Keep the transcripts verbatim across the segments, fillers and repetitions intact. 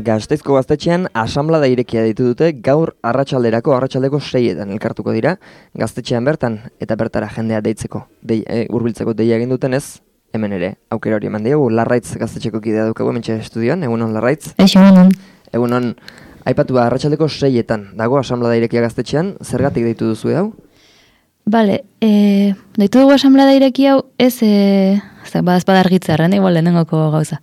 Gasteizko gaztetxean asanblada irekia ditu dute gaur arratsalderako arratsaldeko seietan elkartuko dira gaztetxean bertan eta bertara jendea deitzeko, dei, e, hurbiltzeko deia egin dutenez, hemen ere aukera hori eman diogu. Larraitz gaztetxeko kidea daukagu hementxe estudioan, egunon Larraitz. Egunon. Egunon, aipatu ba, arratsaldeko seietan dago asanblada irekia gaztetxean, zergatik deitu duzu hau? Bale, e, deitu dugu asanblada ireki hau, ez, e, badazpada argitzarren, igual lehenengoko gauza.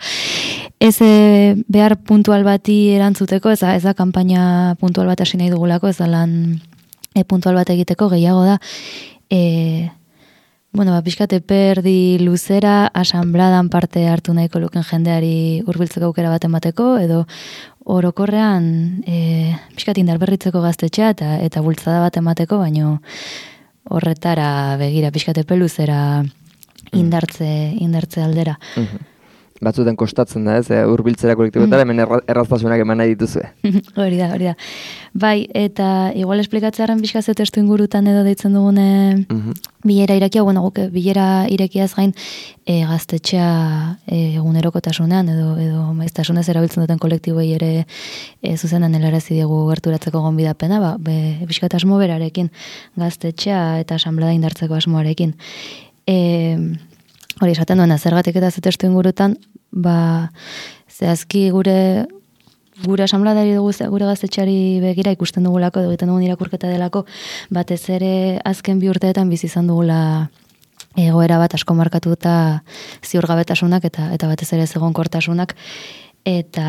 Ez e, behar puntual bati erantzuteko, ez da, ez da kanpaina puntual bat hasi nahi dugulako, ez da lan e, puntual bat egiteko, gehiago da, e, bueno, ba, pixkate perdi luzera, asanbladan parte hartu nahiko luken jendeari hurbiltzeko aukera bat emateko, edo orokorrean e, pixkat indar berritzeko gaztetxea eta, eta bultzada bat emateko, baino horretara begira pixkate peluzera indartze, indartze aldera. Mm-hmm. Batzutan kostatzen da, ez, hurbiltzera kolektibotara, hemen erra, erraztasunak eman nahi dituzue. Hori da, hori da. Bai, eta igual esplikatzearen pixkaz testu ingurutan edo deitzen dugune mm-hmm. bilera irekia, bueno, guke bilera irekiaz gain e, gaztetxea e, egunerokotasunean edo, edo maiztasunez erabiltzen duten kolektiboei ere e, zuzenan helarazi diegu gerturatzeko gonbidapena, ba, be, pixkat asmo berarekin, gaztetxea eta asanblada indartzeko asmoarekin. E, Hori, esaten duena, zergatik eta zetestu ingurutan, ba, zehazki gure gure asanbladari dugu, gure gaztetxeari begira ikusten dugulako, egiten dugun irakurketa delako, batez ere azken bi urteetan bizi izan dugula egoera bat asko markatuta ziurgabetasunak eta eta batez ere egonkortasunak eta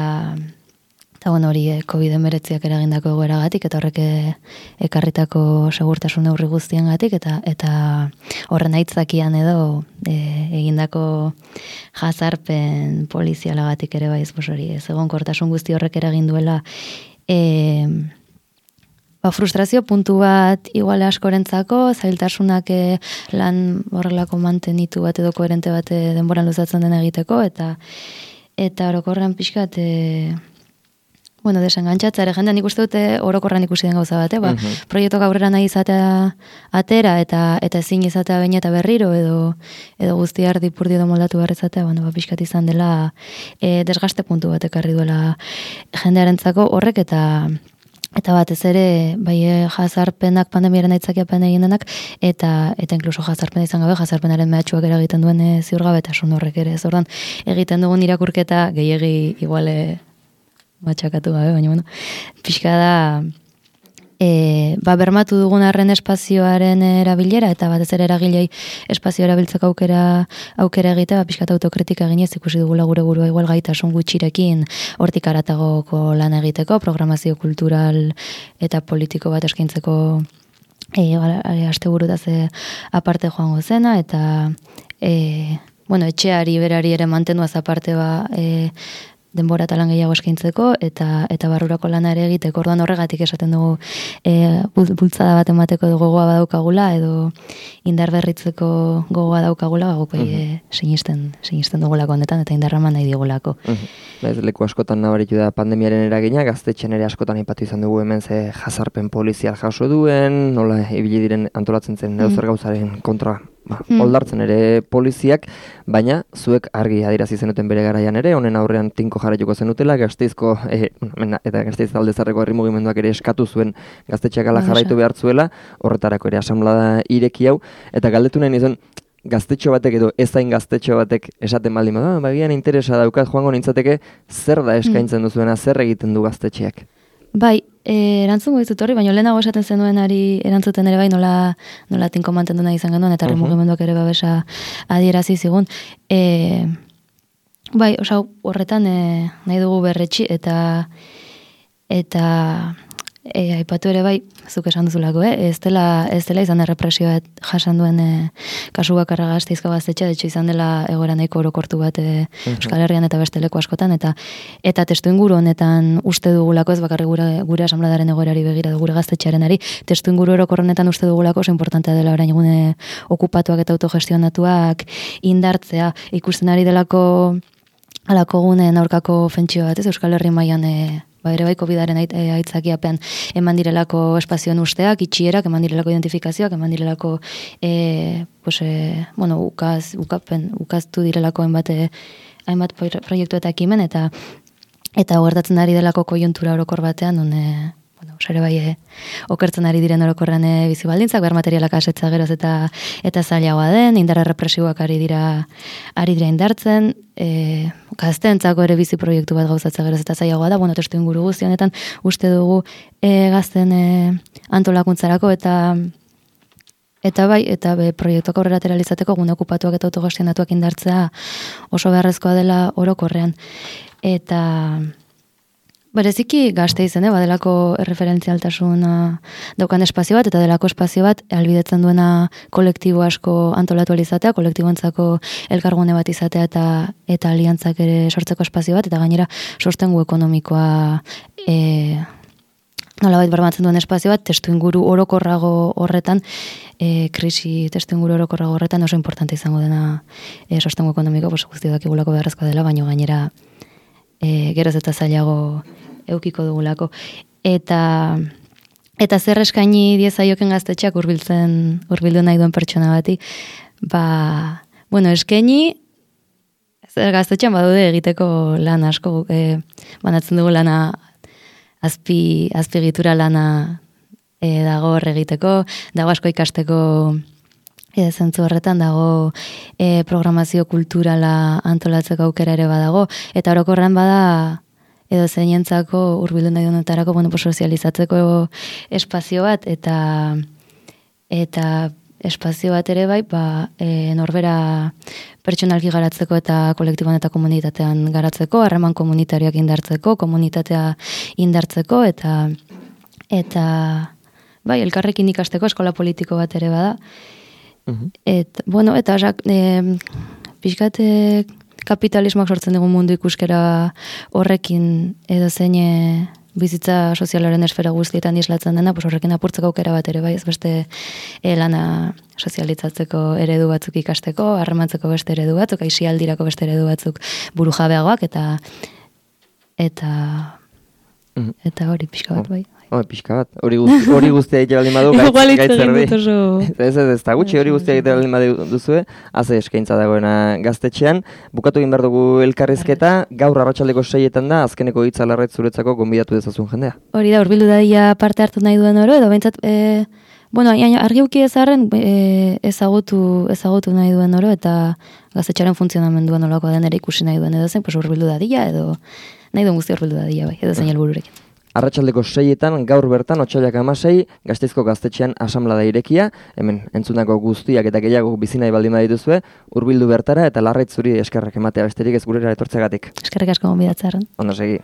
eta bueno, hori eh, covid hemeretziak eragindako egoeragatik eta horrek ekarritako segurtasun neurri guztiengatik eta eta horren aitzakian edo e, egindako jazarpen polizialagatik ere bai, ez hori, ez egonkortasun guzti horrek eragin duela e, ba, frustrazio puntu bat igual askorentzako, zailtasunak e, lan horrelako mantenitu bat edo koherente bat e, denboran luzatzen den egiteko eta eta orokorrean pixkat e, bueno, desengantxatza ere jendean ikuste dute orokorran ikusi den gauza bat, eh? Ba, uh-huh. Proiektu aurrera nahi izatea atera eta eta ezin izatea baina eta berriro edo edo guzti ardi purdi edo moldatu behar izatea, bueno, ba, pixkat izan dela e, desgaste puntu bat ekarri duela jendearentzako horrek eta eta batez ere bai jazarpenak pandemiaren aitzakiapen egin denak eta eta inkluso jazarpena izan gabe jazarpenaren mehatxuak eragiten duen e, ziurgabetasun horrek ere. Ez ordan egiten dugun irakurketa gehiegi iguale matxakatu gabe, baina bueno, pixka da e, ba, bermatu dugun arren espazioaren erabilera eta batez ere eragilei espazio erabiltzeko aukera aukera egitea, ba, pixka autokritika eginez ikusi dugula gure burua igual gaitasun gutxirekin hortik haratagoko lan egiteko, programazio kultural eta politiko bat eskaintzeko e, asteburutaz aparte joango zena eta e, bueno, etxeari berari ere mantenuaz aparte ba e, denbora eta lan gehiago eskaintzeko eta eta barrurako lana ere egiteko. Orduan horregatik esaten dugu e, bultzada bat emateko edo gogoa badaukagula edo indar berritzeko gogoa daukagula, ba, guk uh-huh. e, sinisten, sinisten dugulako honetan eta indarra eman nahi digulako. Uh-huh. Ez leku askotan nabaritu da pandemiaren eragina, gaztetxean ere askotan aipatu izan dugu hemen ze jazarpen polizial jaso duen, nola ibili diren antolatzen zen edo zer gauzaren kontra ba, mm. oldartzen ere poliziak, baina zuek argi adierazi zenuten bere garaian ere, honen aurrean tinko jarraituko zenutela, Gasteizko e, eta Gasteiz aldezarreko herri mugimenduak ere eskatu zuen gaztetxeak ala jarraitu behar zuela, horretarako ere asanblada ireki hau, eta galdetu nahi nizun, gaztetxo batek edo ezain gaztetxo batek esaten baldin bada, bagian interesa daukat joango nintzateke zer da eskaintzen mm. duzuena, zer egiten du gaztetxeak? Bai, e, erantzungo dizut horri, baina lehenago esaten zenuenari erantzuten ere bai nola, nola tinko mantendu nahi izan genuen, eta uh-huh. mugimenduak ere babesa adierazi zigun. E, bai, osa horretan e, nahi dugu berretxi, eta eta e, aipatu ere bai, zuk esan duzulako, eh? ez, dela, ez dela izan errepresioa jasan duen e, kasu bakarra Gasteizko gaztetxea, detxo izan dela egoera nahiko orokortu bat e, uh-huh. Euskal Herrian eta beste leku askotan, eta eta testu inguru honetan uste dugulako, ez bakarri gure, gure asanbladaren egoerari begira, gure gaztetxearenari, testu inguru orokor honetan uste dugulako, oso importantea dela orain egune okupatuak eta autogestionatuak indartzea, ikusten ari delako alako gunen aurkako ofentsio bat, ez Euskal Herri mailan e, ba, ere bai covidaren aitzakiapean eman direlako espazioen usteak, itxierak, eman direlako identifikazioak, eman direlako e, pues, e, bueno, ukaz, ukapen, ukaztu direlako hainbat, hainbat proiektu eta ekimen, eta eta gertatzen ari delako koiuntura orokor batean, une, bueno, sare bai, e, okertzen ari diren orokorren e, bizi baldintzak, behar materialak asetza geroz eta eta zailagoa den, indarra represiboak ari dira ari dira indartzen, e, gazteentzako ere bizi proiektu bat gauzatzea geroz eta zailagoa da, bueno, testu inguru guzti honetan uste dugu e, gazten e, antolakuntzarako eta Eta bai, eta be, proiektuak aurrera ateralizateko gune okupatuak eta autogestionatuak indartzea oso beharrezkoa dela orokorrean. Eta bereziki gazte izen, eh, badelako erreferentzialtasuna daukan espazio bat, eta delako espazio bat albidetzen duena kolektibo asko antolatu alizatea, kolektiboentzako elkargune bat izatea eta eta aliantzak ere sortzeko espazio bat, eta gainera sostengu ekonomikoa e, nolabait bermatzen duen espazio bat, testu inguru orokorrago horretan, e, krisi testu inguru orokorrago horretan oso importante izango dena e, sostengu ekonomiko, pues, guzti dakigulako beharrezkoa dela, baina gainera e, geroz eta zailago eukiko dugulako. Eta eta zer eskaini diezaioken gaztetxeak hurbiltzen hurbildu nahi duen pertsona bati, ba, bueno, eskaini zer gaztetxean badude egiteko lan asko, e, banatzen dugu lana azpi, azpigitura lana e, dago hor egiteko, dago asko ikasteko e, zentzu horretan, dago e, programazio kulturala antolatzeko aukera ere badago, eta orokorren bada edo zeinentzako hurbildu nahi duenetarako, bueno, pues, sozializatzeko espazio bat, eta eta espazio bat ere bai, ba, e, norbera pertsonalki garatzeko eta kolektiboan eta komunitatean garatzeko, harreman komunitarioak indartzeko, komunitatea indartzeko, eta eta bai, elkarrekin ikasteko eskola politiko bat ere bada. Uh-huh. Et, bueno, eta e, pixkate kapitalismoak sortzen dugu mundu ikuskera horrekin edo zein bizitza sozialaren esfera guztietan islatzen dena, pues horrekin apurtzeko aukera bat ere bai, ez beste e, lana sozializatzeko eredu batzuk ikasteko, harremantzeko beste eredu batzuk, aisialdirako beste eredu batzuk burujabeagoak, eta eta mm. eta hori pixka bat bai. Oh, pixka bat, hori guzti, hori guztia egite baldin badu, gaitz, gaitzer di. Ez ez ez, eta gutxi hori guztia egite baldin badu duzue, haze eskaintza dagoena gaztetxean. Bukatu egin behar dugu elkarrizketa, gaur arratsaldeko seietan da, azkeneko hitza larret zuretzako gonbidatu dezazun jendea. Hori da, hurbildu daia parte hartu nahi duen oro, edo behintzat, e, bueno, argi uki ezarren e, ezagutu, ezagutu nahi duen oro, eta gaztetxaren funtzionamendua nolakoa den ere ikusi nahi duen edo zen, pues hurbildu dadia, edo nahi duen guzti hurbildu dadia, bai, edo zein helbururekin. Arratsaldeko seietan, gaur bertan, otsailak hamasei, Gasteizko gaztetxean asamblada irekia, hemen entzunako guztiak eta gehiago bizi nahi baldin badituzue, hurbildu bertara eta Larraitz zuri eskerrak ematea besterik ez gurera etortzegatik. Eskerrik asko gonbidatzearren. Ondo segi.